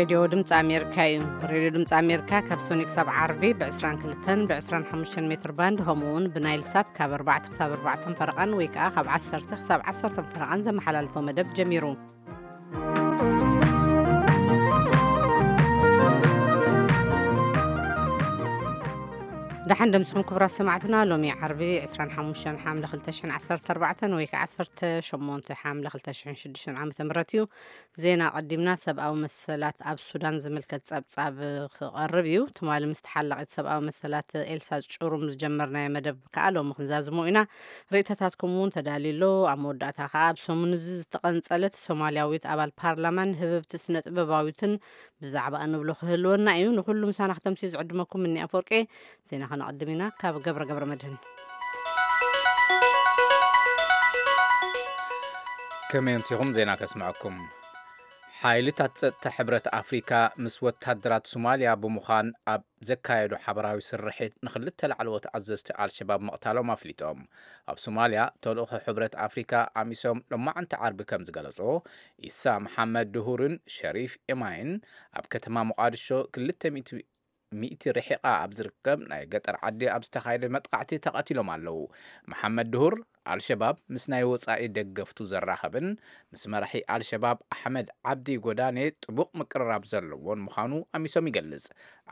ሬድዮ ድምፂ ኣሜሪካ እዩ። ሬድዮ ድምፂ ኣሜሪካ ካብ ሶኒ ክሳብ ዓርቢ ብ22ን ብ25 ሜትር ባንድ፣ ከምኡ እውን ብናይል ሳት ካብ ኣርባዕተ ክሳብ ኣርባዕተን ፈረቓን ወይ ከዓ ካብ ዓሰርተ ክሳብ ዓሰርተን ፈረቓን ዘመሓላልፎ መደብ ጀሚሩ። ደሓን ደምስኹም ክቡራት ሰማዕትና። ሎሚ ዓርቢ 25 ሓምለ 2014 ወይ ከዓ 18 ሓምለ 2006 ዓ ም እዩ። ዜና ቀዲምና። ሰብኣዊ መሰላት ኣብ ሱዳን ዝምልከት ጸብጻብ ክቐርብ እዩ። ትማሊ ምስ ተሓላቒት ሰብኣዊ መሰላት ኤልሳ ጭሩም ዝጀመርናዮ መደብ ከዓ ሎሚ ክንዛዝሞ ኢና። ርእይቶታትኩም እውን ተዳልዩ ኣሎ። ኣብ መወዳእታ ከዓ ኣብ ሰሙን እዚ ዝተቐንጸለት ሶማልያዊት ኣባል ፓርላማን ህብብቲ ስነ ጥበባዊትን ብዛዕባ እንብሎ ክህልወና እዩ። ንኩሉ ምሳና ክተምስዩ ዝዕድመኩም እኒ ኣፈወርቂ። ዜና ከነቐድም ኢና ካብ ገብረ ገብረ መድህን። ከመይ ኣምሲኹም? ዜና ከስምዐኩም። ሓይልታት ጸጥታ ሕብረት ኣፍሪካ ምስ ወታደራት ሶማልያ ብምዃን ኣብ ዘካየዱ ሓበራዊ ስርሒት ንክልተ ላዕለዎት ኣዘዝቲ ኣልሸባብ ምቕታሎም ኣፍሊጦም። ኣብ ሶማልያ ተልእኾ ሕብረት ኣፍሪካ ኣሚሶም ሎማዕንቲ ዓርቢ ከም ዝገለጾ፣ ኢሳ መሓመድ ድሁርን ሸሪፍ ኤማይን ኣብ ከተማ ሞቓድሾ ክልተ ሚእቲ ርሒቓ ኣብ ዝርከብ ናይ ገጠር ዓዲ ኣብ ዝተኻየደ መጥቃዕቲ ተቐቲሎም ኣለዉ። መሓመድ ድሁር ኣልሸባብ ምስ ናይ ወጻኢ ደገፍቱ ዘራኸብን ምስ መራሒ ኣልሸባብ ኣሕመድ ዓብዲ ጎዳኔ ጥቡቕ ምቅርራብ ዘለዎን ምዃኑ ኣሚሶም ይገልጽ።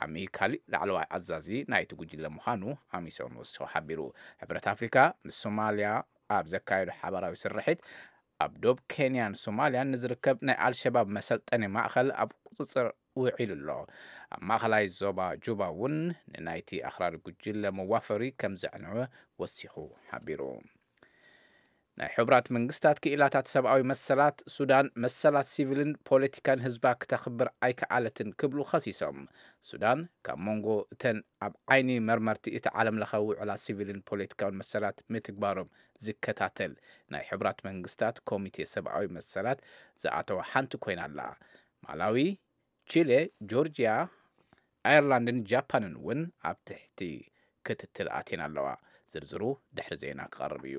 ኣሚ ካሊ ላዕለዋይ ኣዛዚ ናይቲ ጉጅለ ምዃኑ ኣሚሶም ወሲኹ ሓቢሩ። ሕብረት ኣፍሪካ ምስ ሶማልያ ኣብ ዘካየዶ ሓባራዊ ስርሒት ኣብ ዶብ ኬንያን ሶማልያን ንዝርከብ ናይ ኣልሸባብ መሰልጠኒ ማእኸል ኣብ ቁፅፅር ውዒሉ ኣሎ። ኣብ ማእኸላይ ዞባ ጁባ እውን ንናይቲ ኣኽራሪ ጉጅለ መዋፈሪ ከም ዘዕነወ ወሲኹ ሓቢሩ። ናይ ሕቡራት መንግስታት ክኢላታት ሰብኣዊ መሰላት ሱዳን መሰላት ሲቪልን ፖለቲካን ህዝባ ክተኽብር ኣይከኣለትን ክብሉ ኸሲሶም። ሱዳን ካብ መንጎ እተን ኣብ ዓይኒ መርመርቲ እቲ ዓለም ለኸ ውዕላት ሲቪልን ፖለቲካውን መሰላት ምትግባሮም ዝከታተል ናይ ሕቡራት መንግስታት ኮሚቴ ሰብኣዊ መሰላት ዝኣተዋ ሓንቲ ኮይና ኣላ። ማላዊ፣ ቺሌ፣ ጆርጂያ፣ ኣየርላንድን ጃፓንን እውን ኣብ ትሕቲ ክትትል ኣትየን ኣለዋ። ዝርዝሩ ድሕሪ ዜና ክቐርብ እዩ።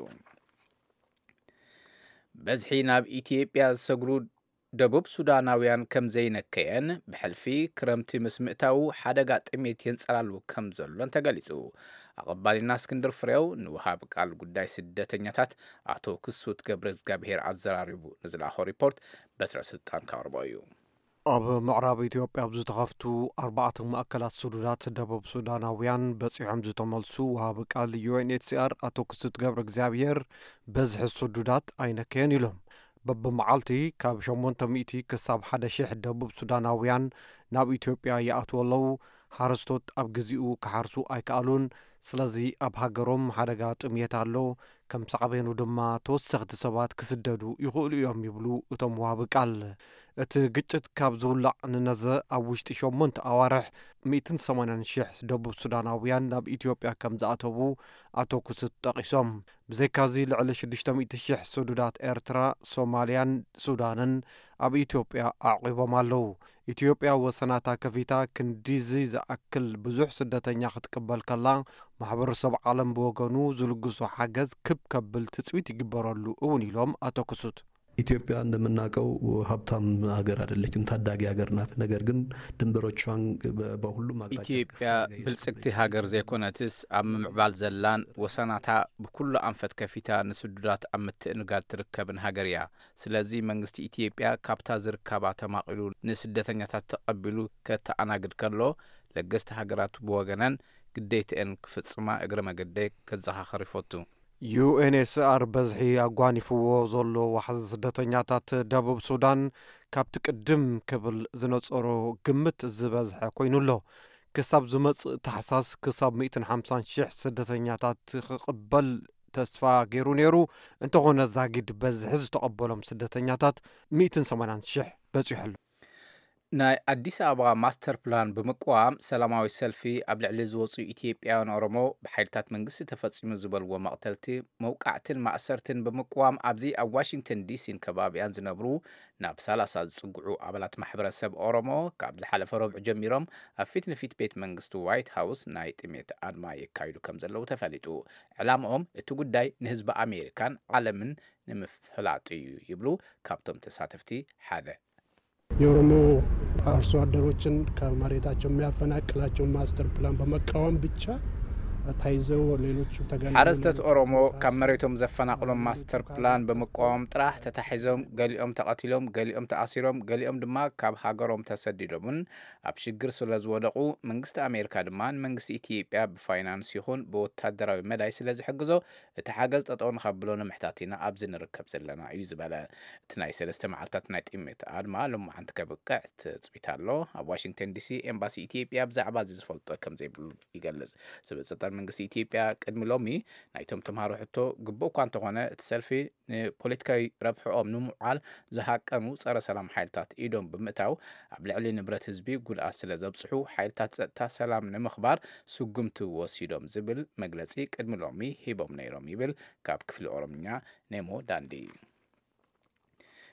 በዝሒ ናብ ኢትዮጵያ ዝሰግሩ ደቡብ ሱዳናውያን ከም ዘይነከየን ብሕልፊ ክረምቲ ምስ ምእታዉ ሓደጋ ጥሜት የንጸላሉ ከም ዘሎን ተገሊጹ። ኣቐባሊና እስክንድር ፍሬው ንውሃብ ቃል ጉዳይ ስደተኛታት ኣቶ ክሱት ገብረ እግዚኣብሔር ኣዘራሪቡ ንዝለኣኾ ሪፖርት በትረ ስልጣን ከቕርቦ እዩ። ኣብ ምዕራብ ኢትዮጵያ ኣብ ዝተኸፍቱ ኣርባዕተ ማእከላት ስዱዳት ደቡብ ሱዳናውያን በጺሖም ዝተመልሱ ወሃቢ ቃል ዩ ኤን ኤች ሲ ኣር ኣቶ ክሱት ገብረ እግዚኣብሔር በዝሒ ስዱዳት ኣይነከየን ኢሎም። በብመዓልቲ ካብ ሸሞንተ ሚእቲ ክሳብ ሓደ ሺሕ ደቡብ ሱዳናውያን ናብ ኢትዮጵያ ይኣትዉ ኣለዉ። ሓረስቶት ኣብ ግዚኡ ክሓርሱ ኣይከኣሉን። ስለዚ ኣብ ሃገሮም ሓደጋ ጥምየት ኣሎ። ከም ሳዕቤኑ ድማ ተወሰኽቲ ሰባት ክስደዱ ይኽእሉ እዮም ይብሉ እቶም ወሃቢ ቃል። እቲ ግጭት ካብ ዝውላዕ ንነዘ ኣብ ውሽጢ ሸሞንተ ኣዋርሕ ሚእትን ሰማንያን ሽሕ ደቡብ ሱዳናውያን ናብ ኢትዮጵያ ከም ዝኣተዉ ኣቶ ክሱት ጠቒሶም። ብዘይካዚ ልዕሊ ሽዱሽተ ሚእቲ ሽሕ ስዱዳት ኤርትራ፣ ሶማልያን ሱዳንን ኣብ ኢትዮጵያ ኣዕቒቦም ኣለዉ። ኢትዮጵያ ወሰናታ ከፊታ ክንዲዚ ዝኣክል ብዙሕ ስደተኛ ክትቅበል ከላ፣ ማሕበረሰብ ዓለም ብወገኑ ዝልግሶ ሓገዝ ክብ ከብል ትጽቢት ይግበረሉ እውን ኢሎም ኣቶ ክሱት። ኢትዮጵያ እንደምናውቀው ሀብታም ሀገር አይደለችም፣ ታዳጊ ሀገር ናት። ነገር ግን ድንበሮቿን በ-፣ በሁሉም አቅጣጫ ኢትዮጵያ ክፍት አድርጋ ብልጽግቲ እየተጠቀመች ሀገር ነው። ዘይኮነትስ ኣብ ምምዕባል ዘላን ወሰናታ ብኩሉ ኣንፈት ከፊታ ንስዱዳት ኣብ ምትእንጋድ ትርከብን ሀገር እያ። ስለዚ መንግስቲ ኢትዮጵያ ካብታ ዝርከባ ተማቒሉ ንስደተኛታት ተቐቢሉ ከተኣናግድ ከሎ፣ ለገስቲ ሃገራት ብወገነን ግዴትአን ክፍጽማ እግረ መገደይ ከዘኻኽር ይፈቱ። ዩ ኤን ኤች ሲ ኣር በዝሒ ኣጓኒፍዎ ዘሎ ዋሕዚ ስደተኛታት ደቡብ ሱዳን ካብቲ ቅድም ክብል ዝነጸሮ ግምት ዝበዝሐ ኮይኑ ኣሎ። ክሳብ ዝመጽእ ታሕሳስ ክሳብ ሚእትን ሓምሳን ሽሕ ስደተኛታት ክቕበል ተስፋ ገይሩ ነይሩ። እንተኾነ ዛጊድ በዝሒ ዝተቐበሎም ስደተኛታት ሚእትን ሰማንያን ሽሕ በጺሑ ኣሎ። ናይ ኣዲስ ኣበባ ማስተር ፕላን ብምቅዋም ሰላማዊ ሰልፊ ኣብ ልዕሊ ዝወፁ ኢትዮጵያውያን ኦሮሞ ብሓይልታት መንግስቲ ተፈፂሙ ዝበልዎ መቕተልቲ፣ መውቃዕትን ማእሰርትን ብምቅዋም ኣብዚ ኣብ ዋሽንግተን ዲሲን ከባቢያን ዝነብሩ ናብ ሰላሳ ዝፅግዑ ኣባላት ማሕበረሰብ ኦሮሞ ካብ ዝሓለፈ ረቡዕ ጀሚሮም ኣብ ፊት ንፊት ቤት መንግስቲ ዋይት ሃውስ ናይ ጥሜት ኣድማ የካይዱ ከም ዘለዉ ተፈሊጡ። ዕላምኦም እቲ ጉዳይ ንህዝቢ ኣሜሪካን ዓለምን ንምፍላጥ እዩ ይብሉ ካብቶም ተሳተፍቲ ሓደ። የኦሮሞ አርሶ አደሮችን ከመሬታቸው የሚያፈናቅላቸውን ማስተር ፕላን በመቃወም ብቻ ተይዘው ሌሎቹ ተገለሉ። ሓረስቶት ኦሮሞ ካብ መሬቶም ዘፈናቕሎም ማስተር ፕላን ብምቃወም ጥራሕ ተታሒዞም፣ ገሊኦም ተቐቲሎም፣ ገሊኦም ተኣሲሮም፣ ገሊኦም ድማ ካብ ሃገሮም ተሰዲዶምን ኣብ ሽግር ስለ ዝወደቑ፣ መንግስቲ ኣሜሪካ ድማ ንመንግስቲ ኢትዮጵያ ብፋይናንስ ይኹን ብወታደራዊ መዳይ ስለ ዝሕግዞ፣ እቲ ሓገዝ ጠጠው ንኸብሎ ንምሕታት ኢና ኣብዚ ንርከብ ዘለና እዩ ዝበለ። እቲ ናይ ሰለስተ መዓልታት ናይ ጥሜት ኣድማ ሎማዓንቲ ከብቅዕ ትጽቢት ኣሎ። ኣብ ዋሽንግተን ዲሲ ኤምባሲ ኢትዮጵያ ብዛዕባ እዚ ዝፈልጦ ከም ዘይብሉ ይገልጽ። ሰበ ስልጣን መንግስቲ ኢትዮጵያ ቅድሚ ሎሚ ናይቶም ተምሃሮ ሕቶ ግቡእ እኳ እንተኾነ፣ እቲ ሰልፊ ንፖለቲካዊ ረብሕኦም ንምውዓል ዝሃቀኑ ጸረ ሰላም ሓይልታት ኢዶም ብምእታው ኣብ ልዕሊ ንብረት ህዝቢ ጉድኣት ስለ ዘብጽሑ፣ ሓይልታት ጸጥታ ሰላም ንምኽባር ስጉምቲ ወሲዶም ዝብል መግለጺ ቅድሚ ሎሚ ሂቦም ነይሮም ይብል ካብ ክፍሊ ኦሮምኛ ኔሞ ዳንዲ።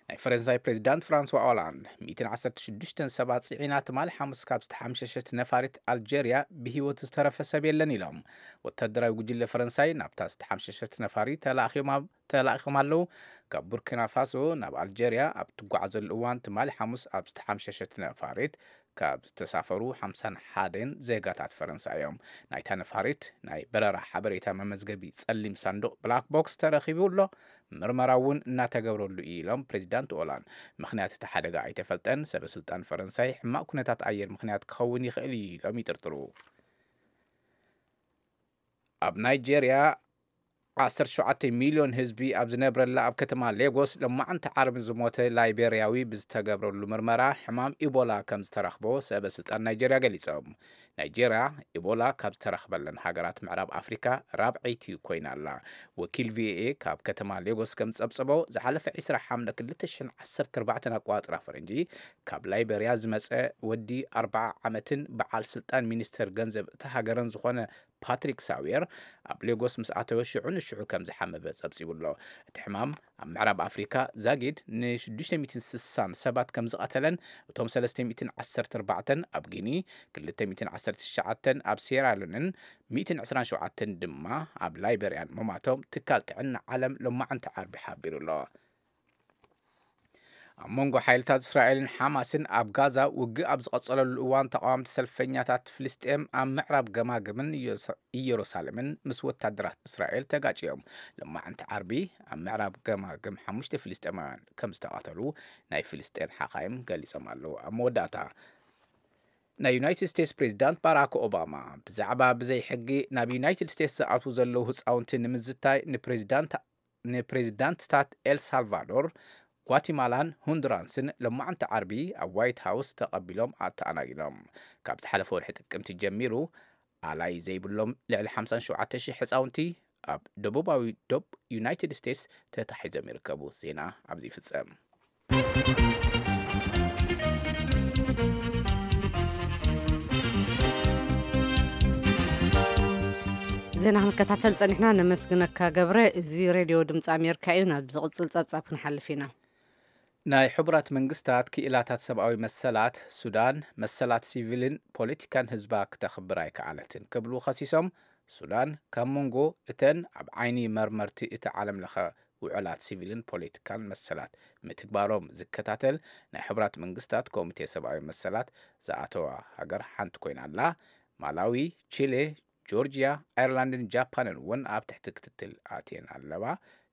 ናይ ፈረንሳይ ፕሬዚዳንት ፍራንስዋ ኦላንድ ሚእትን ዓሰርተ ሽዱሽተን ሰባት ጽዒና ትማሊ ሓሙስ ካብ ዝተሓምሸሸት ነፋሪት ኣልጀርያ ብህይወት ዝተረፈ ሰብ የለን ኢሎም። ወታደራዊ ጉጅለ ፈረንሳይ ናብታ ዝተሓምሸሸት ነፋሪት ተላእኺዮም ኣብ-፣ ተላኢኾም ኣለዉ። ካብ ቡርኪና ፋሶ ናብ ኣልጀርያ ኣብ ትጓዓዘሉ እዋን ትማሊ ሓሙስ ኣብ ዝተሓምሸሸት ነፋሪት ካብ ዝተሳፈሩ ሓምሳን ሓደን ዜጋታት ፈረንሳ እዮም። ናይታ ነፋሪት ናይ በረራ ሓበሬታ መመዝገቢ ጸሊም ሳንዱቕ ብላክ ቦክስ ተረኺቡ ኣሎ። ምርመራ እውን እናተገብረሉ እዩ ኢሎም ፕሬዚዳንት ኦላንድ። ምኽንያት እቲ ሓደጋ ኣይተፈልጠን። ሰበ ስልጣን ፈረንሳይ ሕማቕ ኩነታት ኣየር ምኽንያት ክኸውን ይኽእል እዩ ኢሎም ይጥርጥሩ። ኣብ ናይጄርያ ዓሰርተ ሸውዓተ ሚልዮን ህዝቢ ኣብ ዝነብረላ ኣብ ከተማ ሌጎስ ሎማዓንቲ ዓርቢ ዝሞተ ላይቤርያዊ ብዝተገብረሉ ምርመራ ሕማም ኢቦላ ከም ዝተረኽቦ ሰበ ስልጣን ናይጄርያ ገሊጾም። ናይጄርያ ኢቦላ ካብ ዝተረኽበለን ሃገራት ምዕራብ ኣፍሪካ ራብዐይቲ ኮይና ኣላ። ወኪል ቪኦኤ ካብ ከተማ ሌጎስ ከም ዝጸብጸቦ፣ ዝሓለፈ ዕስራ ሓምለ ክልተ ሽሕን ዓሰርተ ኣርባዕተን ኣቆጻጽራ ፈረንጂ ካብ ላይቤርያ ዝመጸ ወዲ ኣርብዓ ዓመትን በዓል ስልጣን ሚኒስተር ገንዘብ እታ ሃገርን ዝኾነ ፓትሪክ ሳዌር ኣብ ሌጎስ ምስ ኣተወ ሽዑ ንሽዑ ከም ዝሓመበ ጸብጺቡ ኣሎ። እቲ ሕማም ኣብ ምዕራብ ኣፍሪካ ዛጊድ ንሽዱሽተ ሚእትን ስሳን ሰባት ከም ዝቐተለን እቶም ሰለስተ ሚእትን ዓሰርተ ኣርባዕተን ኣብ ጊኒ፣ ክልተ ሚእትን ዓሰርተ ትሽዓተን ኣብ ሴራሊዮንን ሚእትን ዕስራን ሸውዓተን ድማ ኣብ ላይቤርያን ምማቶም ትካል ጥዕና ዓለም ሎማዓንቲ ዓርቢ ሓቢሩ ኣሎ። ኣብ መንጎ ሓይልታት እስራኤልን ሓማስን ኣብ ጋዛ ውግእ ኣብ ዝቐጸለሉ እዋን፣ ተቓወምቲ ሰልፈኛታት ፍልስጤም ኣብ ምዕራብ ገማግምን ኢየሩሳ-፣ ኢየሩሳሌምን ምስ ወታደራት እስራኤል ተጋጭዮም። ሎማዓንቲ ዓርቢ ኣብ ምዕራብ ገማግም ሓሙሽተ ፍልስጤማውያን ከም ዝተቐተሉ ናይ ፍልስጤን ሓኻይም ገሊጾም ኣለዉ። ኣብ መወዳእታ፣ ናይ ዩናይትድ ስቴትስ ፕሬዚዳንት ባራክ ኦባማ ብዛዕባ ብዘይ ሕጊ ናብ ዩናይትድ ስቴትስ ዝኣትዉ ዘለዉ ህፃውንቲ ንምዝታይ ንፕሬዚዳንት ንፕሬዚዳንትታት ኤል ሳልቫዶር፣ ጓቲማላን ሆንዱራስን ሎማዓንቲ ዓርቢ ኣብ ዋይት ሃውስ ተቐቢሎም ኣተኣናጊዶም። ካብ ዝሓለፈ ወርሒ ጥቅምቲ ጀሚሩ ኣላይ ዘይብሎም ልዕሊ ሓምሳን ሸውዓተ ሽሕ ህፃውንቲ ኣብ ደቡባዊ ዶብ ዩናይትድ ስቴትስ ተታሒዞም ይርከቡ። ዜና ኣብዚ ይፍጸም። ዜና ክንከታተል ጸኒሕና፣ ነመስግነካ ገብረ። እዚ ሬድዮ ድምፂ ኣሜሪካ እዩ። ናብ ዝቕጽል ጸብጻብ ክንሓልፍ ኢና። ናይ ሕቡራት መንግስታት ክኢላታት ሰብኣዊ መሰላት፣ ሱዳን መሰላት ሲቪልን ፖለቲካን ህዝባ ክተኽብር ኣይከኣለትን ክብሉ ከሲሶም። ሱዳን ካብ መንጎ እተን ኣብ ዓይኒ መርመርቲ እቲ ዓለም ለኸ ውዕላት ሲቪልን ፖለቲካን መሰላት ምትግባሮም ዝከታተል ናይ ሕቡራት መንግስታት ኮሚቴ ሰብኣዊ መሰላት ዝኣተዋ ሃገር ሓንቲ ኮይና ኣላ። ማላዊ፣ ቺሌ፣ ጆርጂያ፣ ኣየርላንድን ጃፓንን እውን ኣብ ትሕቲ ክትትል ኣትየን ኣለዋ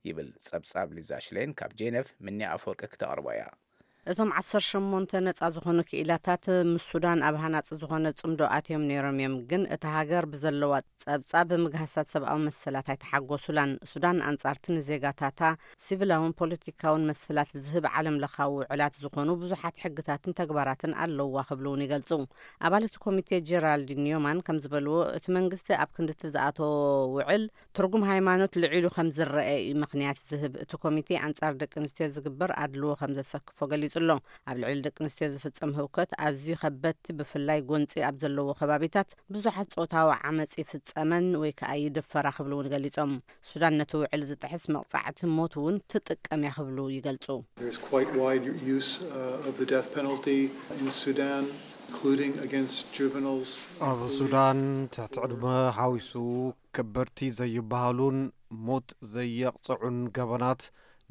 ይብል ጸብጻብ ሊዛ ሽሌን ካብ ጄነቭ። ምንያ ኣፈወርቂ ክተቕርቦ እያ። እቶም ዓሰርተ ሸሞንተ ነጻ ዝኾኑ ክኢላታት ምስ ሱዳን ኣብ ሃናጺ ዝኾነ ጽምዶ ኣትዮም ነይሮም እዮም፣ ግን እታ ሃገር ብዘለዋ ጸብጻብ ብምግሃሳት ሰብኣዊ መሰላት ኣይተሓጎሱላን። ሱዳን ኣንጻርቲ ንዜጋታታ ሲቪላውን ፖለቲካውን መሰላት ዝህብ ዓለም ለኻዊ ውዕላት ዝኾኑ ብዙሓት ሕግታትን ተግባራትን ኣለውዋ ክብሉ እውን ይገልጹ። ኣባል እቲ ኮሚቴ ጀራልድ ኒዮማን ከም ዝበልዎ፣ እቲ መንግስቲ ኣብ ክንድቲ ዝኣተዎ ውዕል ትርጉም ሃይማኖት ልዒሉ ከም ዝረአ እዩ ምኽንያት ዝህብ። እቲ ኮሚቴ ኣንጻር ደቂ ኣንስትዮ ዝግበር ኣድልዎ ከም ዘሰክፎ ገሊጹ ኣሎ። ኣብ ልዕሊ ደቂ ኣንስትዮ ዝፍጸም ህውከት ኣዝዩ ከበድቲ፣ ብፍላይ ጎንጺ ኣብ ዘለዎ ከባቢታት ብዙሓት ጾታዊ ዓመጽ ይፍጸመን ወይ ከኣ ይድፈራ ክብሉ እውን ገሊጾም። ሱዳን ነቲ ውዕል ዝጥሕስ መቕጻዕቲ ሞት እውን ትጥቀም እያ ክብሉ ይገልጹ። There's quite wide use uh, of the death penalty in Sudan, including against juveniles. ኣብ ሱዳን ትሕቲ ዕድመ ሓዊሱ ከበድቲ ዘይበሃሉን ሞት ዘየቕጽዑን ገበናት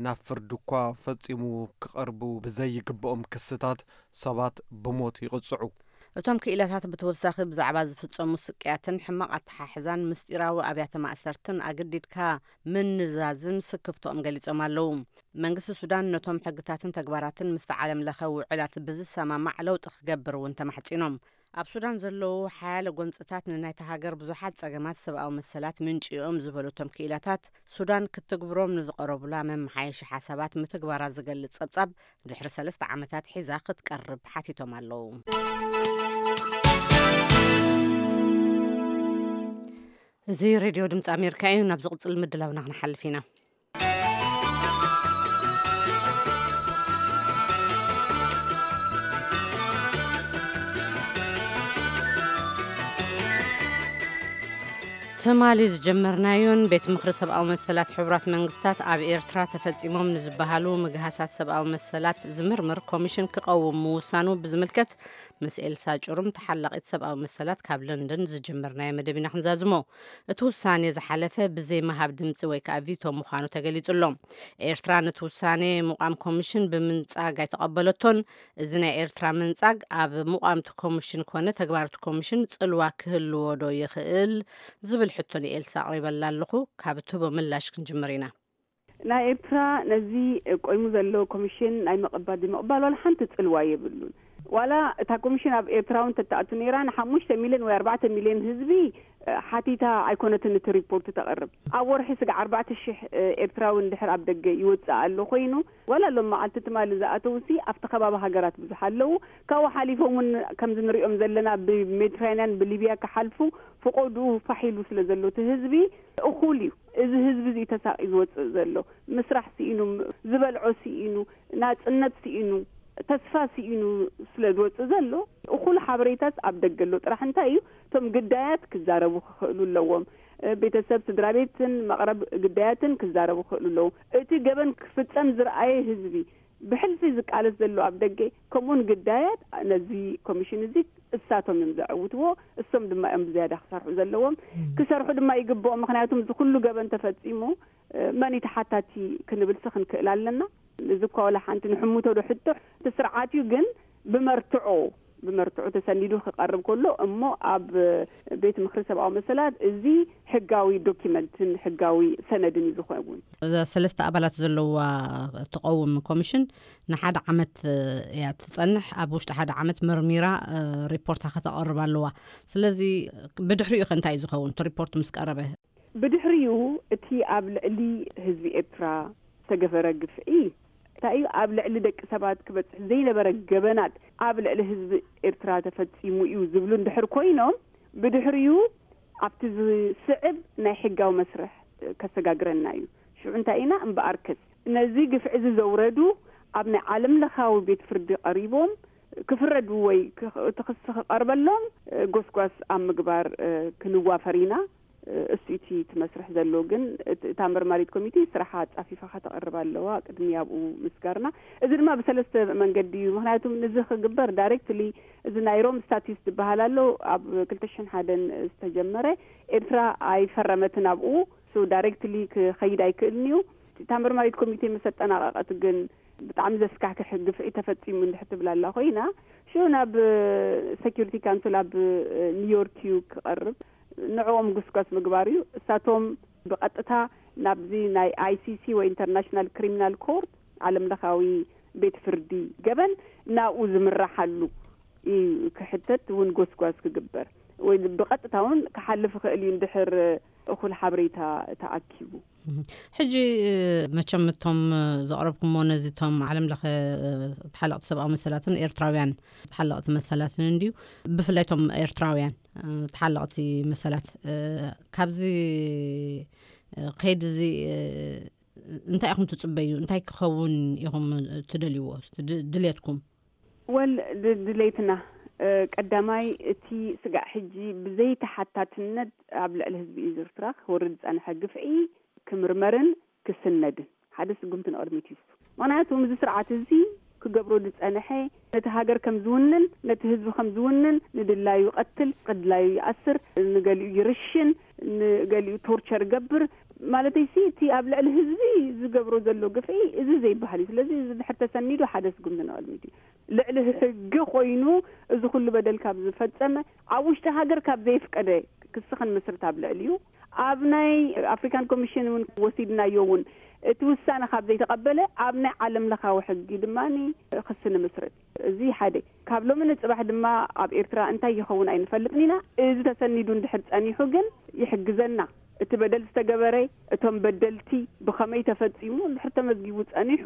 ናብ ፍርዲ እኳ ፈጺሙ ክቐርቡ ብዘይግብኦም ክስታት ሰባት ብሞት ይቕጽዑ። እቶም ክኢላታት ብተወሳኺ ብዛዕባ ዝፍጸሙ ስቅያትን ሕማቕ ኣተሓሕዛን ምስጢራዊ ኣብያተ ማእሰርትን ኣገዲድካ ምንዛዝን ስክፍቶኦም ገሊጾም ኣለዉ። መንግስቲ ሱዳን ነቶም ሕግታትን ተግባራትን ምስቲ ዓለም ለኸ ውዕላት ብዝሰማማዕ ለውጢ ክገብር እውን ተማሕጺኖም። ኣብ ሱዳን ዘለዉ ሓያለ ጎንጽታት ንናይታ ሃገር ብዙሓት ጸገማት ሰብኣዊ መሰላት ምንጪ እዮም ዝበሉ እቶም ክኢላታት፣ ሱዳን ክትግብሮም ንዝቐረቡላ መመሓየሺ ሓሳባት ምትግባራ ዝገልጽ ጸብጻብ ድሕሪ ሰለስተ ዓመታት ሒዛ ክትቀርብ ሓቲቶም ኣለዉ። እዚ ሬድዮ ድምፂ ኣሜሪካ እዩ። ናብ ዝቕፅል ምድላውና ክንሓልፍ ኢና። ትማሊ ዝጀመርናዮን ቤት ምኽሪ ሰብኣዊ መሰላት ሕቡራት መንግስታት ኣብ ኤርትራ ተፈጺሞም ንዝበሃሉ ምግሃሳት ሰብኣዊ መሰላት ዝምርምር ኮሚሽን ክቐውም ምውሳኑ ብዝምልከት ምስ ኤልሳ ጩሩም ተሓላቒት ሰብኣዊ መሰላት ካብ ለንደን ዝጀመርናዮ መደብ ኢና ክንዛዝሞ። እቲ ውሳኔ ዝሓለፈ ብዘይ ምሃብ ድምፂ ወይ ከዓ ቪቶ ምዃኑ ተገሊጹ ኣሎ። ኤርትራ ነቲ ውሳኔ ምቋም ኮሚሽን ብምንጻግ ኣይተቐበለቶን። እዚ ናይ ኤርትራ ምንጻግ ኣብ ምቋምቲ ኮሚሽን ኮነ ተግባርቲ ኮሚሽን ጽልዋ ክህልዎ ዶ ይኽእል ዝብል ሕቶ ንኤልሳ ኣቕሪበላ ኣለኹ። ካብ እትህቦ ምላሽ ክንጅምር ኢና። ናይ ኤርትራ ነዚ ቆይሙ ዘሎ ኮሚሽን ናይ ምቕባል ዘይምቕባል ዋላ ሓንቲ ጽልዋ የብሉን። ዋላ እታ ኮሚሽን ኣብ ኤርትራ እውን ተተኣቱ ነይራ፣ ንሓሙሽተ ሚልዮን ወይ ኣርባዕተ ሚልዮን ህዝቢ ሓቲታ ኣይኮነትን እቲ ሪፖርት ተቕርብ። ኣብ ወርሒ ስጋዕ ኣርባዕተ ሽሕ ኤርትራዊ እንድሕር ኣብ ደገ ይወፅእ ኣሎ ኮይኑ፣ ዋላ ሎም መዓልቲ ትማሊ ዝኣተውሲ ኣብቲ ከባቢ ሃገራት ብዙሕ ኣለዉ። ካብኡ ሓሊፎም እውን ከምዚ ንሪኦም ዘለና ብሜዲትራንያን ብሊብያ ክሓልፉ ፍቆድኡ ፋሕ ኢሉ ስለ ዘሎ እቲ ህዝቢ እኹል እዩ። እዚ ህዝቢ እዚ ተሳቒ ዝወፅእ ዘሎ ምስራሕ ስኢኑ፣ ዝበልዖ ስኢኑ፣ ናፅነት ስኢኑ፣ ተስፋ ስኢኑ ስለ ዝወፅእ ዘሎ እኹል ሓበሬታስ ኣብ ደገ ኣሎ። ጥራሕ እንታይ እዩ፣ እቶም ግዳያት ክዛረቡ ክኽእሉ ኣለዎም። ቤተሰብ፣ ስድራ ቤትን መቕረብ ግዳያትን ክዛረቡ ክኽእሉ ኣለዎም። እቲ ገበን ክፍፀም ዝረኣየ ህዝቢ ብሕልፊ ዝቃለስ ዘሎ ኣብ ደገ፣ ከምኡውን ግዳያት ነዚ ኮሚሽን እዚ እሳቶም እዮም ዘዕውትዎ። እሶም ድማ እዮም ብዝያዳ ክሰርሑ ዘለዎም። ክሰርሑ ድማ ይግብኦም። ምክንያቱም እዚ ኩሉ ገበን ተፈፂሙ መን እዩ ተሓታቲ ክንብልሲ ክንክእል ኣለና። እዚ እኳ ዋላ ሓንቲ ንሕምቶ ዶ ሕቶ እቲ ስርዓት እዩ፣ ግን ብመርትዖ ብመርትዖ ተሰኒዱ ክቐርብ ከሎ እሞ ኣብ ቤት ምክሪ ሰብኣዊ መሰላት እዚ ሕጋዊ ዶኪመንትን ሕጋዊ ሰነድን እዩ ዝኸውን። እዛ ሰለስተ ኣባላት ዘለዋ ትቐውም ኮሚሽን ንሓደ ዓመት እያ ትጸንሕ። ኣብ ውሽጢ ሓደ ዓመት መርሚራ ሪፖርታ ከተቐርብ ኣለዋ። ስለዚ ብድሕሪኡ ከ እንታይ እዩ ዝኸውን? እቲ ሪፖርት ምስ ቀረበ ብድሕሪኡ እቲ ኣብ ልዕሊ ህዝቢ ኤርትራ ዝተገበረ ግፍዒ እንታይ እዩ፣ ኣብ ልዕሊ ደቂ ሰባት ክበፅሕ ዘይነበረ ገበናት ኣብ ልዕሊ ህዝቢ ኤርትራ ተፈፂሙ እዩ ዝብሉ እንድሕር ኮይኖም፣ ብድሕሪኡ ኣብቲ ዝስዕብ ናይ ሕጋዊ መስርሕ ከሰጋግረና እዩ። ሽዑ እንታይ ኢና እምበኣርከስ ነዚ ግፍዒ እዚ ዘውረዱ ኣብ ናይ ዓለም ለኻዊ ቤት ፍርዲ ቀሪቦም ክፍረዱ ወይ እቲ ክሲ ክቐርበሎም ጎስጓስ ኣብ ምግባር ክንዋፈር ኢና። እሱ እቲ እቲ መስርሕ ዘሎ ግን እታ መርማሪት ኮሚቴ ስራሓ ኣጻፊፋ ከተቕርብ ኣለዋ ቅድሚ ኣብኡ ምስጋርና። እዚ ድማ ብሰለስተ መንገዲ እዩ። ምክንያቱ እዚ ክግበር ዳይሬክትሊ እዚ ናይ ሮም ስታቲስ ዝበሃል ኣሎ ኣብ ክልተ ሽሕን ሓደን ዝተጀመረ ኤርትራ ኣይፈረመትን ኣብኡ። ሶ ዳይሬክትሊ ክኸይድ ኣይክእልን እዩ። እታ መርማሪት ኮሚቴ ምስ ኣጠናቐቐት ግን ብጣዕሚ ዘስካሕክሕ ግፍዒ ተፈጺሙ እንድሕር ትብል ኣላ ኮይና ሽዑ ናብ ሰኪሪቲ ካውንስል ኣብ ኒውዮርክ እዩ ክቐርብ። ንዕኦም ጉስጓስ ምግባር እዩ። እሳቶም ብቐጥታ ናብዚ ናይ ኣይሲሲ ወይ ኢንተርናሽናል ክሪሚናል ኮርት ዓለም ለኻዊ ቤት ፍርዲ ገበን ናብኡ ዝምራሓሉ እዩ ክሕተት እውን ጎስጓስ ክግበር ወይ ብቐጥታ እውን ክሓልፍ ይኽእል እዩ እንድሕር እኹል ሓበሬታ ተኣኪቡ። ሕጂ መቸም እቶም ዘቕረብኩሞ ነዚ እቶም ዓለም ለኸ ተሓለቕቲ ሰብኣዊ መሰላትን ኤርትራውያን ተሓለቕቲ መሰላትን እንድዩ፣ ብፍላይ እቶም ኤርትራውያን ተሓለቕቲ መሰላት ካብዚ ከይዲ እዚ እንታይ ኢኹም ትፅበዩ? እንታይ ክኸውን ኢኹም ትደልይዎ? ድልየትኩም? ወል ድሌትና ቀዳማይ እቲ ስጋዕ ሕጂ ብዘይተሓታትነት ኣብ ልዕሊ ህዝቢ ኤርትራ ክወርድ ዝጸንሐ ግፍዒ ክምርመርን ክስነድን ሓደ ስጉምቲ ንቕድሚት እዩ። ምኽንያቱ እዚ ስርዓት እዚ ክገብሮ ዝጸንሐ ነቲ ሃገር ከም ዝውንን ነቲ ህዝቢ ከም ዝውንን ንድላዩ ይቐትል፣ ንድላዩ ይኣስር፣ ንገሊኡ ይርሽን፣ ንገሊኡ ቶርቸር ይገብር። ማለተይሲ እቲ ኣብ ልዕሊ ህዝቢ ዝገብሮ ዘሎ ግፍዒ እዚ ዘይበሃል እዩ። ስለዚ እዚ ድሕር ተሰኒዱ ሓደ ስጉምቲ ንቕድሚት እዩ። ልዕሊ ሕጊ ኮይኑ እዚ ኩሉ በደል ካብ ዝፈጸመ፣ ኣብ ውሽጢ ሃገር ካብ ዘይፍቀደ ክሲ ክንምስርት ኣብ ልዕሊኡ፣ ኣብ ናይ ኣፍሪካን ኮሚሽን እውን ወሲድናዮ እውን እቲ ውሳነ ካብ ዘይተቐበለ፣ ኣብ ናይ ዓለም ለኻዊ ሕጊ ድማ ክሲ ንምስርት። እዚ ሓደ። ካብ ሎሚ ንጽባሕ ድማ ኣብ ኤርትራ እንታይ ይኸውን ኣይንፈልጥን ኢና። እዚ ተሰኒዱ እንድሕር ጸኒሑ ግን ይሕግዘና። እቲ በደል ዝተገበረ፣ እቶም በደልቲ ብኸመይ ተፈጺሙ እንድሕር ተመዝጊቡ ጸኒሑ፣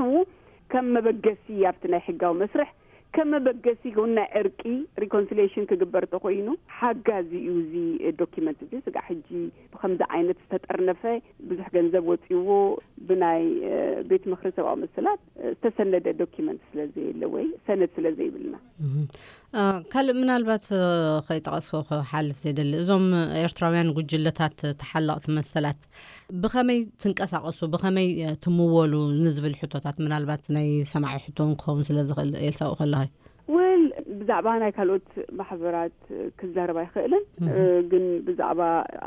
ከም መበገሲ ኣብቲ ናይ ሕጋዊ መስርሕ፣ ከም መበገሲ እውን ናይ ዕርቂ፣ ሪኮንሲሊየሽን ክግበር ተኾይኑ ሓጋዚ እዩ። እዚ ዶኪመንት እዚ ስጋዕ ሕጂ ብኸምዚ ዓይነት ዝተጠርነፈ፣ ብዙሕ ገንዘብ ወጺዎ፣ ብናይ፣ እ፣ ቤት ምኽሪ ሰብኣዊ መሰላት፣ እ፣ ዝተሰነደ ዶኪመንት ስለ ዘየለ ወይ ሰነድ ስለ ዘይብልና። እህ። እ፣ ካልእ ምናልባት፣ እ፣ ከይጠቐስኩ ክሓልፍ ዘይደሊ፣ እዞም ኤርትራውያን ጉጅለታት ተሓለቕቲ መሰላት ብኸመይ ትንቀሳቐሱ፣ ብኸመይ፣ እ፣ ትምወሉ ንዝብል ሕቶታት ምናልባት ናይ ሰማዒ ሕቶ እውን ክኸውን ስለ ዝኽእል፣ ኤልሳ፣ ኣብኡ ከለኺ። ወል፣ ብዛዕባ ናይ ካልኦት ማሕበራት ክዛረብ ኣይኽእልን፣ እህ። እ፣ ግን ብዛዕባ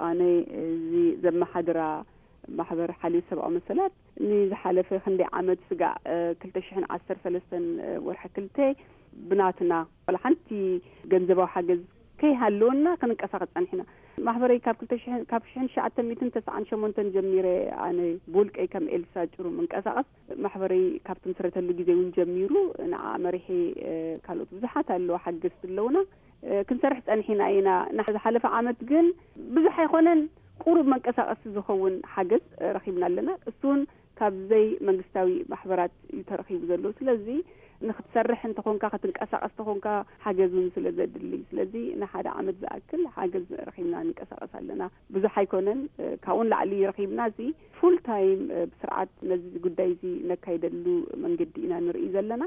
ኣነ እዚ ዘመሓድራ ማሕበር ሓልዮት ሰብኣዊ መሰላት ንዝሓለፈ ክንደይ ዓመት ስጋዕ፣ እ፣ ክልተ ሽሕን ዓሰርተ ሰለስተን፣ እ፣ ወርሒ ክልተ ብናትና ዋላ ሓንቲ ገንዘባዊ ሓገዝ ከይሃለወና ክንንቀሳቐስ ጸኒሕና። ማሕበረይ ካብ ክልተ ሽሕን፣ ካብ ሽሕን ትሽዓተ ሚእትን ተስዓን ሸሞንተን ጀሚረ ኣነ ብውልቀይ ከም ኤልሳ ጭሩ ምንቀሳቐስ ማሕበረይ ካብ ትምስረተሉ ግዜ እውን ጀሚሩ ንዓ መሪሒ፣ እ፣ ካልኦት ብዙሓት ኣለዋ ሓገዝቲ ኣለውና፣ እ፣ ክንሰርሕ ጸኒሕና ኢና። ንዝሓለፈ ዓመት ግን ብዙሕ ኣይኮነን ቁሩብ መንቀሳቐሲ ዝኸውን ሓገዝ፣ እ፣ ረኺብና ኣለና። እሱን ካብ ዘይ መንግስታዊ ማሕበራት እዩ ተረኺቡ ዘሎ። ስለዚ ንክትሰርሕ እንተኾንካ፣ ክትንቀሳቐስ እንተኾንካ ሓገዝ እውን ስለ ዘድሊ። ስለዚ ንሓደ ዓመት ዝኣክል ሓገዝ ረኺብና ንንቀሳቐስ ኣለና። ብዙሕ ኣይኮነን፣ እ፣ ካብኡ ንላዕሊ ረኺብና። እዚ ፉል ታይም፣ እ፣ ብስርዓት ነዚ ጉዳይ እዚ ነካይደሉ መንገዲ ኢና ንርኢ ዘለና።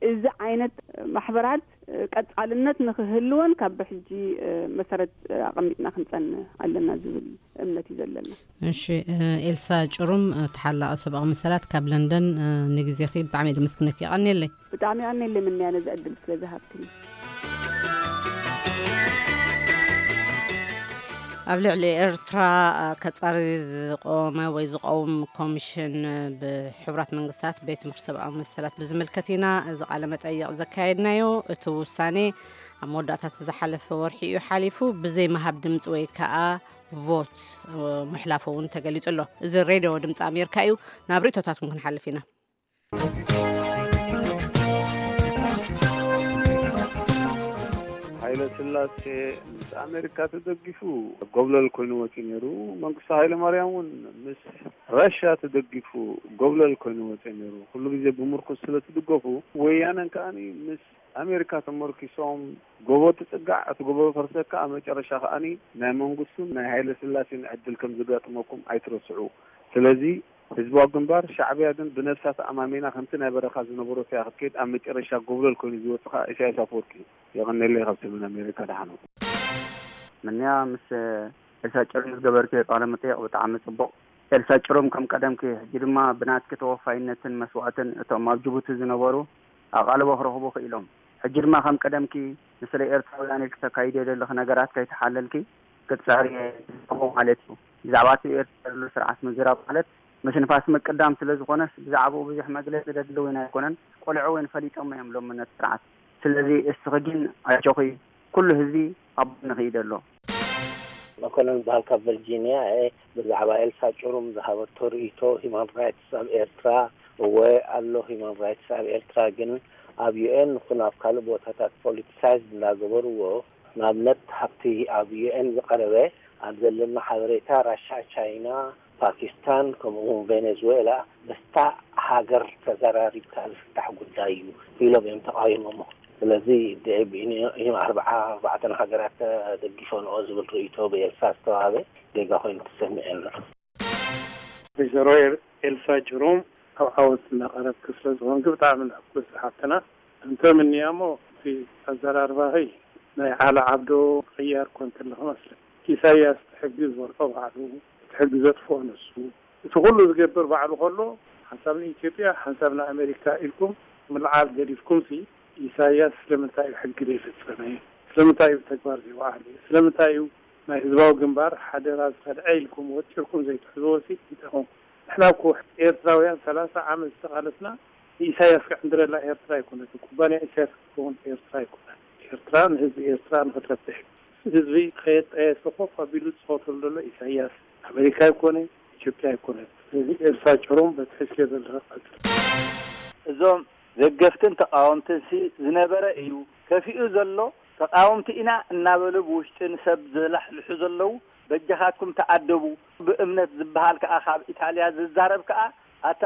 እዚ ዓይነት ማሕበራት፣ እ፣ ቀጻልነት ንክህልወን ካብ ብሕጂ፣ እ፣ መሰረት፣ እ፣ ኣቐሚጥና ክንጸንህ ኣለና ዝብል እምነት እዩ ዘለና። እሺ፣ እ፣ ኤልሳ ጭሩም፣ እ፣ ተሓላቒ ሰብኣዊ መሰላት ካብ ለንደን፣ እ፣ ንግዜኺ ብጣዕሚ እየ ዘመስግነኪ። የቐንየለይ። ብጣዕሚ የቐንየለይ ምንያ ነዚ ዕድል ስለ ዝሃብክኒ። ኣብ ልዕሊ ኤርትራ ከጻሪ ዝቆመ ወይ ዝቐውም ኮሚሽን ብሕቡራት መንግስታት ቤት ምኽሪ ሰብኣዊ መሰላት ብዝምልከት ኢና እዚ ቃለ መጠይቕ ዘካየድናዮ። እቲ ውሳኔ ኣብ መወዳእታ ዝሓለፈ ወርሒ እዩ ሓሊፉ። ብዘይ ምሃብ ድምፂ ወይ ከዓ ቮት ምሕላፉ እውን ተገሊጹ ኣሎ። እዚ ሬድዮ ድምፂ ኣሜሪካ እዩ። ናብ ርእይቶታት እውን ክንሓልፍ ኢና። ሃይለ ስላሴ ምስ ኣሜሪካ ተደጊፉ ጎብለል ኮይኑ ወፂኡ ነይሩ። መንግስቱ ሃይለ ማርያም እውን ምስ ራሻ ተደጊፉ ጎብለል ኮይኑ ወፂኡ ነይሩ። ኩሉ ግዜ ብምርኩስ ስለ ትድገፉ፣ ወያነን ከኣኒ ምስ ኣሜሪካ ተመርኪሶም፣ ጎቦ ትፅጋዕ፣ እቲ ጎቦ ፈርሰካ፣ ኣብ መጨረሻ ከኣኒ ናይ መንግስቱን ናይ ሃይለ ስላሴን ዕድል ከም ዝጋጥመኩም ኣይትረስዑ። ስለዚ ህዝባዊ ግንባር፣ ሻዕብያ ግን ብነብሳ ተኣማሚና ከምቲ ናይ በረኻ ዝነበረቶ እያ ክትከይድ፣ ኣብ መጨረሻ ጎብለል ኮይኑ ዝወፅእ ከኣ ኢሳያስ ኣፈወርቂ እዩ። የቐንየለይ ካብ ሰሜን ኣሜሪካ፣ ደሓን። ምንያ ምስ ኤልሳ ጭሩም ዝገበርክዮ ቃለ መጠይቕ ብጣዕሚ ጽቡቕ። ኤልሳ ጭሩም ከም ቀደምኪ፣ ሕጂ ድማ ብናትኪ ተወፋይነትን መስዋእትን እቶም ኣብ ጅቡቲ ዝነበሩ ኣቓልቦ ክረኽቡ ክኢሎም። ሕጂ ድማ ከም ቀደምኪ ንስለ ኤርትራውያን ኢልኪ ተካይድዮ ዘለኺ ነገራት ከይተሓለልኪ ክትጽዕሪ እየ ማለት እዩ። ብዛዕባ እቲ ኤርትራ ዘሎ ስርዓት ምዝራብ ማለት ምትንፋስ ምቅዳም ስለ ዝኾነስ ብዛዕባኡ ብዙሕ መግለጺ ዘድሊ እውን ኣይኮነን። ቆልዑ እውን ፈሊጦሞ እዮም ሎሚ ነቲ ስርዓት። ስለዚ እስኺ ግን ኣጆኺ፣ ኩሉ ህዝቢ ኣብ ጎንኺ እዩ ዘሎ። መኮነን ዝበሃል ካብ ቨርጂንያ እየ። ብዛዕባ ኤልሳ ጭሩም ዝሃበቶ ርእይቶ፣ ሂማን ራይትስ ኣብ ኤርትራ እወ ኣሎ። ሂማን ራይትስ ኣብ ኤርትራ ግን ኣብ ዩ ኤን ይኹን ኣብ ካልእ ቦታታት ፖለቲሳይዝድ እንዳገበርዎ፣ ንኣብነት ኣብቲ ኣብ ዩ ኤን ዝቐረበ ኣብ ዘለና ሓበሬታ ራሻ፣ ቻይና፣ ፓኪስታን ከምኡ እውን ቬኔዙዌላ ምስታ ሃገር ተዘራሪብካ ዝፍታሕ ጉዳይ እዩ ኢሎም እዮም ተቓዊሞሞ። ስለዚ ብኢም ኣርብዓ ኣርባዕተን ሃገራት ተደጊፈንኦ ዝብል ርእይቶ ብኤልሳ ዝተዋህበ ጌጋ ኮይኑ ተሰሚዑ ኣሎ። ወይዘሮ ኤልሳ ጅሩም ኣብ ዓወት እናቐረብኪ ስለ ዝኾንኪ ብጣዕሚ ንሕጉስ ሓፍትና። እንተ ምንያሞ እቲ ኣዘራርባኺ ናይ ዓሊ ዓብዶ ቅያር ኮንኪ ኣለኺ መስለኒ። ኢሳያስ እቲ ሕጊ ዝበልዖ ባዕሉ፣ እቲ ሕጊ ዘጥፍኦ ንሱ፣ እቲ ኩሉ ዝገብር ባዕሉ ከሎ ሓንሳብ ንኢትዮጵያ ሓንሳብ ንኣሜሪካ ኢልኩም ምልዓል ገዲፍኩምሲ ኢሳያስ ስለምንታይ እዩ ሕጊ ዘይፈጸመ? ስለምንታይ እዩ ብተግባር ዘይወዓለ? ስለምንታይ እዩ ናይ ህዝባዊ ግንባር ሓደራ ዝኸድዐ ኢልኩም ወጢርኩም ዘይትሕዝዎ ሲ ይጠቕምኩም። ንሕና እኮ ኤርትራውያን ሰላሳ ዓመት ዝተቓለስና ንኢሳያስ ክዕንድረላ ኤርትራ ኣይኮነትን፣ ኩባንያ ኢሳያስ ክትከውን ኤርትራ ኣይኮነን። ኤርትራ ንህዝቢ ኤርትራ ንኽትረብሕ፣ ህዝቢ ከየጣየሰ ኮፍ ኣቢሉ ዝጸወተሉ ዘሎ ኢሳያስ ኣሜሪካ ኣይኮነ፣ ኢትዮጵያ ኣይኮነን። ስለዚ ኤርትራ ጭሩም በቲ ሒዝክዮ ዘለኻ ቀጽል። እዞም ደገፍትን ተቓወምትን ሲ ዝነበረ እዩ። ከፊኡ ዘሎ ተቓወምቲ ኢና እናበሉ ብውሽጥን ሰብ ዝላሕልሑ ዘለዉ፣ በጃኻትኩም ተኣደቡ። ብእምነት ዝበሃል ከኣ ካብ ኢጣልያ ዝዛረብ ከኣ፣ ኣታ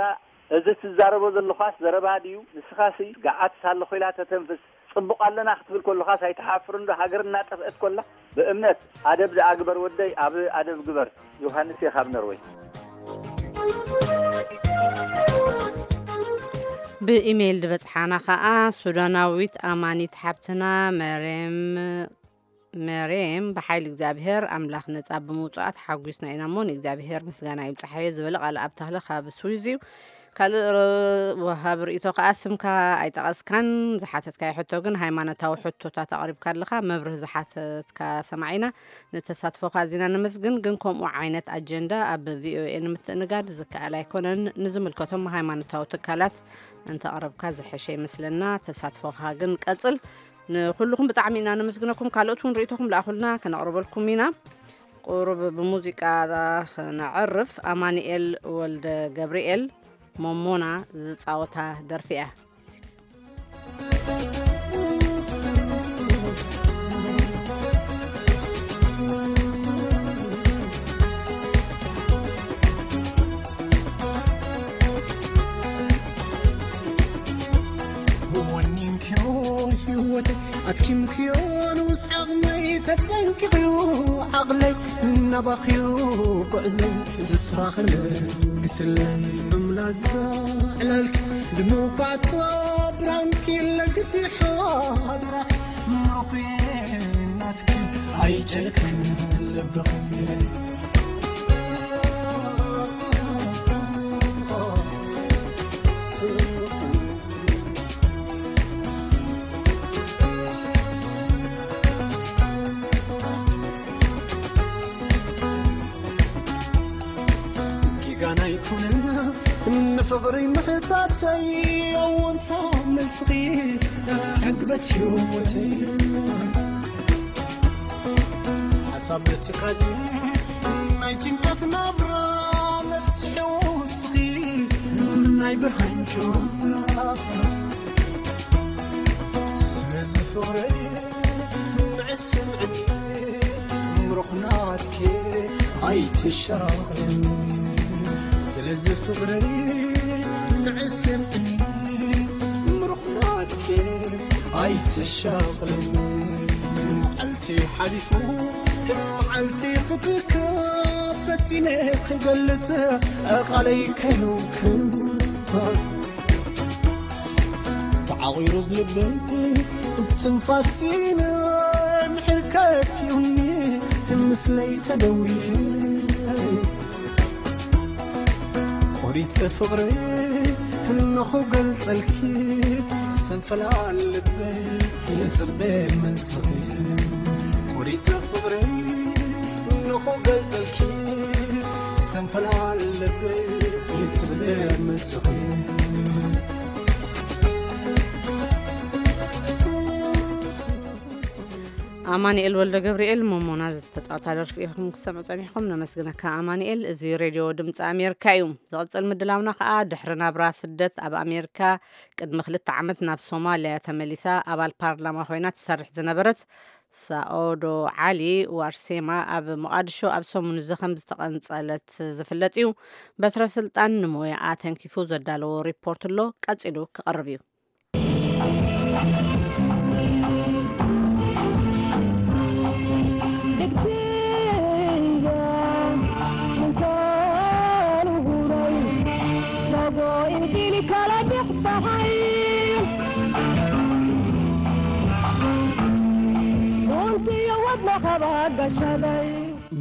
እዚ ትዛረቦ ዘለኻስ ዘረባ ድዩ? ንስኻሲ ገዓት ሳለ ኮይላ ተተንፍስ። ጽቡቕ ኣለና ክትብል ከለኻስ ኣይትሓፍርን ዶ? ሃገር እናጠፍአት ኮላ። ብእምነት ኣደብ ደኣ ግበር ወደይ፣ ኣብ ኣደብ ግበር። ዮሃንስ እየ ካብ ነርወይ። ብኢሜይል ዝበጽሓና ኸኣ ሱዳናዊት ኣማኒት ሓብትና መሬም መሬም ብሓይሊ እግዚኣብሔር ኣምላኽ ነጻ ብምውጻኣ ተሓጒስና ኢና እሞ ንእግዚኣብሔር ምስጋና ይብጽሓዮ ዝበለ ቃል ኣብ ተኽለ ካብ ስዊዝ እዩ። ካልእ ረ- ወሃብ ርእይቶ ከኣ ስምካ ኣይጠቐስካን ዝሓተትካዮ ሕቶ ግን ሃይማኖታዊ ሕቶታት ኣቕሪብካ ኣለኻ መብርህ ዝሓተትካ ሰማዒና ንተሳትፎኻ ኣዚና ነመስግን ግን ከምኡ ዓይነት ኣጀንዳ ኣብ ቪኦኤ ንምትእንጋድ ዝከኣል ኣይኮነን ንዝምልከቶም ሃይማኖታዊ ትካላት እንተቕረብካ ዝሐሸ ይመስለና ተሳትፎኻ ግን ቀጽል ንኩልኹም ብጣዕሚ ኢና ነመስግነኩም ካልኦት እውን ርእይቶኹም ለኣኹልና ከነቕርበልኩም ኢና ቁሩብ ብሙዚቃ ክነዕርፍ ኣማኒኤል ወልደ ገብርኤል ሞሞና ዝፃወታ ደርፊ እያ ወኒንክዮ ህይወት ኣትኪምክዮ ንውስ ዓቕመይ ተጸንቂቕዩ ዓቕለይ እናባኽዩ ጉዕዞ ተስፋ ክልግስለይ እምላዛ ዕላልኪ ድምቋዕቶ ብራንኪ ለግሲ ሓደራ ምሩኽናትኪ ኣይጨልክን ልብኺ ጌጋና ይኩነና ንፍቕሪ ምሕታተይ ኣወንታ መልስኺ ዕግበት ህይወተይ ሓሳብ ትካዚ ናይ ጭንቀት ናብራ መፍትሒ ውስኺ ናይ ብርሃን ጨዋታ ስለዚ ፍቕረይ ንዕስምዕኒ ምሩኽናትኪ ኣይትሻቕልኒ ስለዚ ፍቕረይ ንዕስምዕኒ ምሩኽናትኪ ኣይትሻቕልኒ መዓልቲ ሓሊፉ መዓልቲ ክትከብ ፈቲነ ክገልጽ ቃለይ ከይህብክን ተዓቒሩ ልበይ ትንፋሲን ምሕር ከፊኡኒ ምስለይ ተደውየ ቆሪጸ ፍቕረይ እንኹ ገልጸልኪ ሰንፈላል ልበይ ይጽበ መልስኺ ቆሪጸ ፍቕረይ እንኹ ገልጸልኪ ሰንፈላል ልበይ ይጽበ መልስኺ ኣማንኤል ወልደ ገብርኤል ሞሞና ዝተጻወታ ደርፊ ኢኹም ክሰምዑ ጸኒሕኩም ነመስግነካ ኣማንኤል እዚ ሬድዮ ድምፂ ኣሜሪካ እዩ ዝቕፅል ምድላውና ከዓ ድሕሪ ናብራ ስደት ኣብ ኣሜሪካ ቅድሚ ክልተ ዓመት ናብ ሶማልያ ተመሊሳ ኣባል ፓርላማ ኮይና ትሰርሕ ዝነበረት ሳኦዶ ዓሊ ዋርሴማ ኣብ ሞቓድሾ ኣብ ሰሙን እዚ ከም ዝተቐንጸለት ዝፍለጥ እዩ በትረ ስልጣን ንሞያኣ ተንኪፉ ዘዳለዎ ሪፖርት ኣሎ ቀፂሉ ክቐርብ እዩ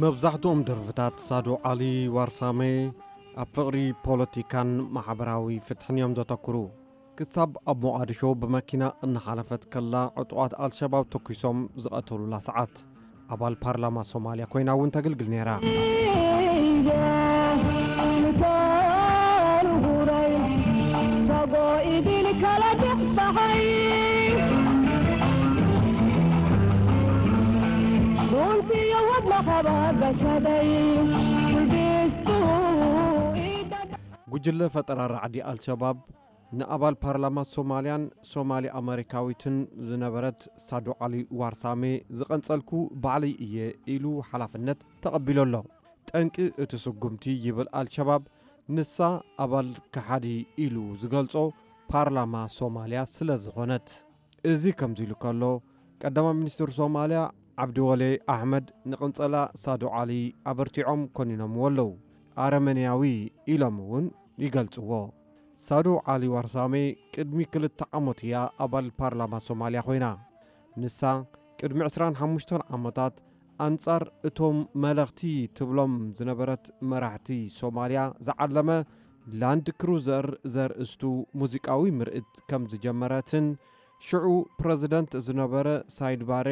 መብዛሕትኦም ደርፍታት ሳዶ ዓሊ ዋርሳመ ኣብ ፍቕሪ፣ ፖለቲካን ማሕበራዊ ፍትሕን እዮም ዘተኩሩ። ክሳብ ኣብ ሞቓድሾ ብመኪና እናሓለፈት ከላ ዕጡቓት ኣልሸባብ ተኲሶም ዝቐተሉላ ሰዓት። ኣባል ፓርላማ ሶማልያ ኮይና እውን ተገልግል ነይራ። ጉጅለ ፈጠራ ራዕዲ ኣልሸባብ ንኣባል ፓርላማ ሶማልያን ሶማሊ ኣመሪካዊትን ዝነበረት ሳዱ ዓሊ ዋርሳሜ ዝቐንጸልኩ ባዕለይ እየ ኢሉ ሓላፍነት ተቐቢሉ ኣሎ። ጠንቂ እቲ ስጉምቲ ይብል ኣልሸባብ፣ ንሳ ኣባል ከሓዲ ኢሉ ዝገልጾ ፓርላማ ሶማልያ ስለ ዝኾነት። እዚ ከምዚ ኢሉ ከሎ፣ ቀዳማይ ሚኒስትር ሶማልያ ዓብዲወሌ ኣሕመድ ንቕንጸላ ሳዱ ዓሊ ኣበርቲዖም ኮኒኖምዎ ኣለዉ። ኣረመንያዊ ኢሎም እውን ይገልጽዎ። ሳዱ ዓሊ ዋርሳሜ ቅድሚ ክልተ ዓመት እያ ኣባል ፓርላማ ሶማልያ ኮይና። ንሳ ቅድሚ ዕስራን ሓሙሽተን ዓመታት ኣንጻር እቶም መለኽቲ ትብሎም ዝነበረት መራሕቲ ሶማልያ ዝዓለመ ላንድ ክሩዘር ዘርእስቱ ሙዚቃዊ ምርኢት ከም ዝጀመረትን ሽዑ ፕረዚደንት ዝነበረ ሳይድ ባሬ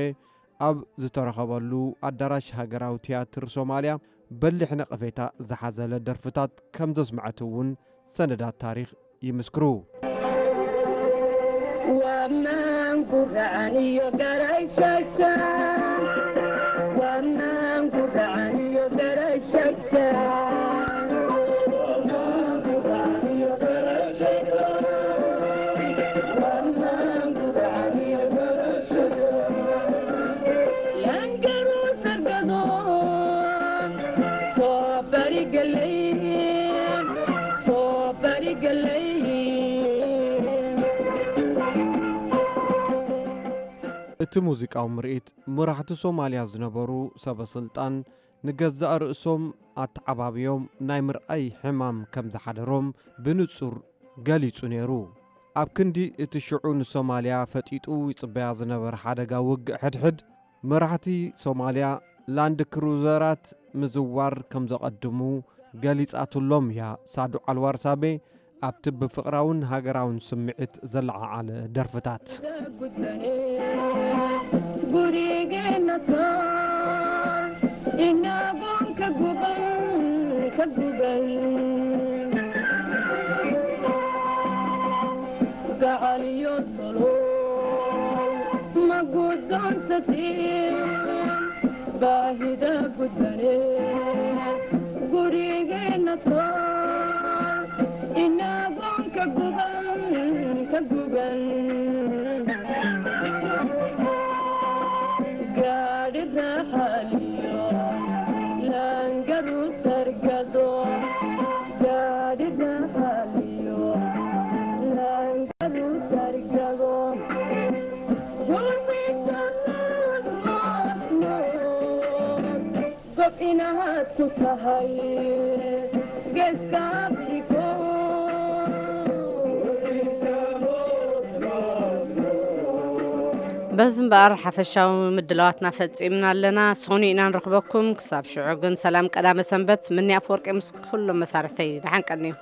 ኣብ ዝተረኸበሉ ኣዳራሽ ሃገራዊ ትያትር ሶማልያ በሊሕ ነቐፌታ ዝሓዘለ ደርፍታት ከም ዘስምዐት እውን ሰነዳት ታሪኽ ይምስክሩ። እቲ ሙዚቃዊ ምርኢት፣ መራሕቲ ሶማልያ ዝነበሩ ሰበ ስልጣን ንገዛእ ርእሶም ኣተዓባብዮም ናይ ምርኣይ ሕማም ከም ዝሓደሮም ብንጹር ገሊጹ ነይሩ። ኣብ ክንዲ እቲ ሽዑ ንሶማልያ ፈጢጡ ይጽበያ ዝነበረ ሓደጋ ውግእ ሕድሕድ፣ መራሕቲ ሶማልያ ላንድ ክሩዘራት ምዝዋር ከም ዘቐድሙ ገሊጻትሎም እያ ሳዱ ዓልዋር ሳቤ ኣብቲ ብፍቕራውን ሃገራውን ስምዒት ዘለዓዓለ ደርፍታት። በዚ እምበኣር ሓፈሻዊ ምድላዋትና ፈጺምና ኣለና። ሰኑይ ኢና ንረኽበኩም። ክሳብ ሽዑ ግን ሰላም ቀዳመ ሰንበት። ምኒ ኣፈወርቂ ምስ ኩሎም መሳርሕተይ ደሓን ቀንዩ።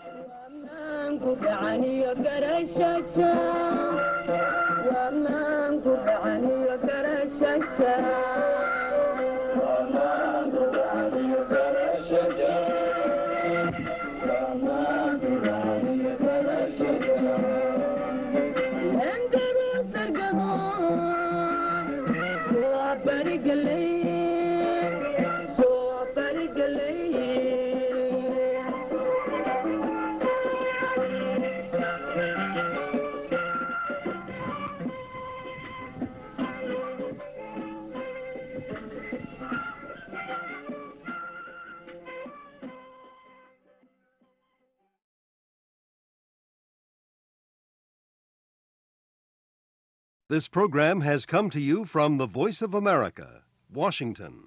This program has come to you from the Voice of America, Washington.